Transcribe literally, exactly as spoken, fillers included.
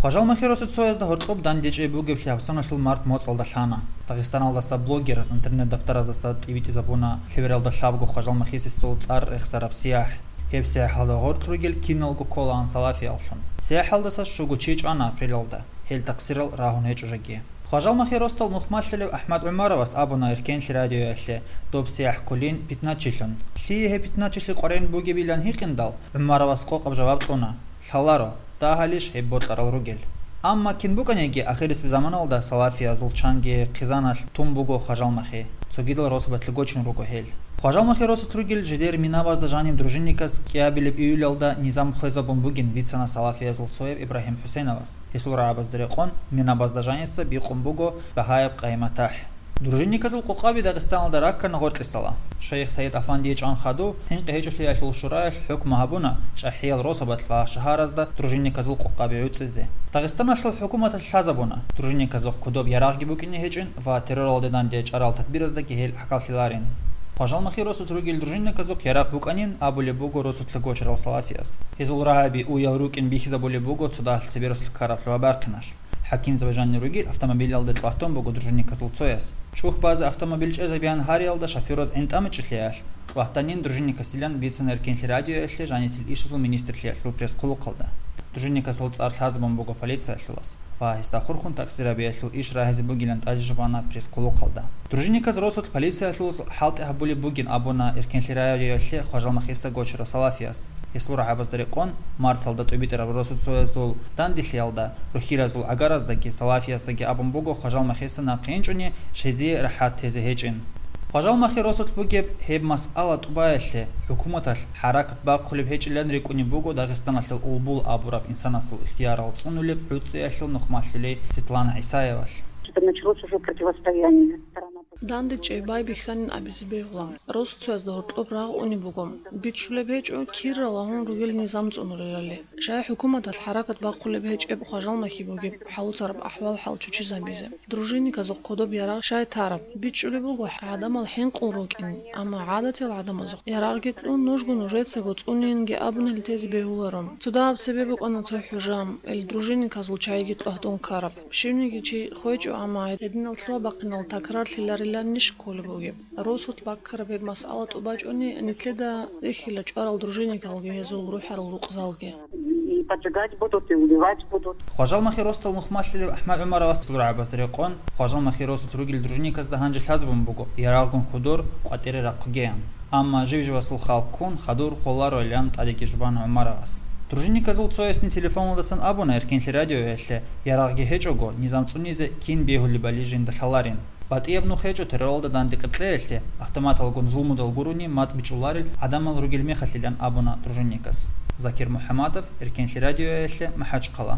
Хважалмахи росуцоязда гьоркьоб дандечӀей бугеблъи гьабсаналъул март моцӀалда лъана. Дагъистаналдаса блогераз интернет-даптараздаса тӀибитӀизабуна лъебералда лъабго хважалмахисесул цӀар рехсараб сияхӀ. Гьеб сияхӀалда гъоркь ругел киналго кколаан салафияллъун. СияхӀалдаса щуго чи чӀвана апрелалда, гьел такъсирал рагьун гьечӀо жеги. Хважалмахи росдал нухмалъулев АхӀмад ГӀумаровас абуна Эркенлъи радиоялъе доб сияхӀ кколин питначилъун. Лъие гьеб питначилъи къваригӀун бугебилан гьикъиндал, ГӀумаровас къокъаб жаваб кьуна: «Лъаларо, дагьалищ гьеб бокьарал ругел». Амма кин букӀаниги, ахирисеб заманалда салафиязул чанги хъизаналъ тун буго хважалмахи. Цогидал росабалъе гочун руго гьел. Хважалмахи росулъ ругел жидер минабазда жаниб дружинниказ кӀиабилеб июлялда низам хвезабун бугин бицана салафиязул цояб Ибрагьим ХӀусейновас. Гьесул рагӀабазда рекъон, минабазда жаница бикъун буго багьаяб къайматахӀ. Дружинниказул къокъаби Дагъистаналда раккана гъоркьисала. Шайх Саид Афандие чӀван хадув, хӀинкъи гьечӀолъиялъул шураялъ хӀукму гьабуна чӀахӀиял росабалъ ва шагьаразда дружинниказул къокъаби гӀуцӀизе. Дагъистаналъул хӀукуматалъ лъазабуна, дружинниказухъ кодоб ярагъги букӀине гьечӀин ва терроралде данде чӀарал тадбираздаги гьел гӀахьаллъиларин. Хважалмахи росулъ ругел дружинниказухъ ярагъ букӀанин абулеб буго росулъа гочарал салафияс. Гьезул рагӀаби уял рукӀин бихьизабулеб буго цо дагьалъ цебе росулъ ккараб лъугьа-бахъиналъ. ХӀакимзаби жанир ругел автомобилялде чӀватун буго дружинниказул цояс. ЧӀухь базе автомобиль чӀезабеян гьариялда шофёраз гӀинтӀамичӀелъиялъ, чӀватанин дружинникасилан бицана Эркенлъи радиоялъе жаницел ишазул министрлъиялъул пресс-хъулухъалда. Дружинникасул цӀар лъазабун буго полициялъулас ва гьесда хурхун такъсирабиялъул иш рагьизе бугилан тӀаде жубана пресс-хъулухъалда. Дружинниказ росулъ полициялъулас хӀалтӀи гьабулеб бугин абуна Эркенлъи радиоялъе хважалмахиса гочарав салафияс. Гьесул рагӀабазда рекъон, марталда тӀубитӀараб росуцоязул данделъиялда, рухьиразул гӀагараздаги салафиясдаги абун буго хважалмахиса нахъе инчӀони щезе рахӀат тезе гьечӀин. Хважалмахи росулъ бугеб гьеб масъала тӀубаялъе хӀукуматалъ хӀаракат бахъулеб гьечӀилан рикӀкӀунеб буго Дагъистаналъул Улбул абураб инсанасул ихтиярал цӀунулеб гӀуцӀиялъул нухмалъулей Светлана ГӀисаевалъ. Что началось уже противостояние. ДандечӀей байбихьанин абизе бегьула. Росуцоязда гьоркьоб рагъ унеб буго. Бичулеб гьечӀо, кирра лагьун ругел низам цӀунулелали. Шай хӀукуматалъ хӀаракат бахъулеб гьечӀеб хважалмахи бугеб хӀалуцараб ахӀвал-хӀал чучизабизе. Дружинниказухъ кодоб ярагъ шай тараб. БичӀчӀулеб буго гӀадамал хӀинкъун рукӀин, амма гӀадатиял гӀадамазухъ ярагъги кьун, нужго нужецаго цӀунейинги абунел тезе бегьуларо. Цо дагьаб цебе букӀана цо хӀужа, ил дружинниказул чайги кьвагьдун ккараб. Щивниги чи хвечӀо, амма гьединал лъугьа-бахъинал такрарлъилариланищ кколеб бугеб? Росулъ баккараб гьеб масъала тӀубачӀони, нилъеда рихьила чӀварал дружинникалги гьезул рухӀарал рукъзалги. И поджигать будут, и убивать будут. Хважалмахи росдал нухмалъулев АхӀмад ГӀумаровас лъургӀабазда рекъон, хважалмахи росулъ ругел дружинниказда гьанже лъазабун буго, ярагъгун хьудур къватӀире рахъугеян. Амма жив-живасул хал ккун, хадур холароилан тӀадеги жубан ГӀумаровас. Дружинниказул цоясни телефоналдасан абуна Эркенлъи радиоялъе, ярагъги гьечӀого, низам цӀунизе кин бегьулебали жинда лъаларин. БатӀияб нух гьечӀо терроралда данде къеркьеялъе, автоматалгун зулмудал гурони мацӀ бичӀчӀуларел гӀадамал ругел мехалъилан абуна дружинникас. Закир МухӀаммадов, Эркенлъи радиоялъе, МахӀачхъала.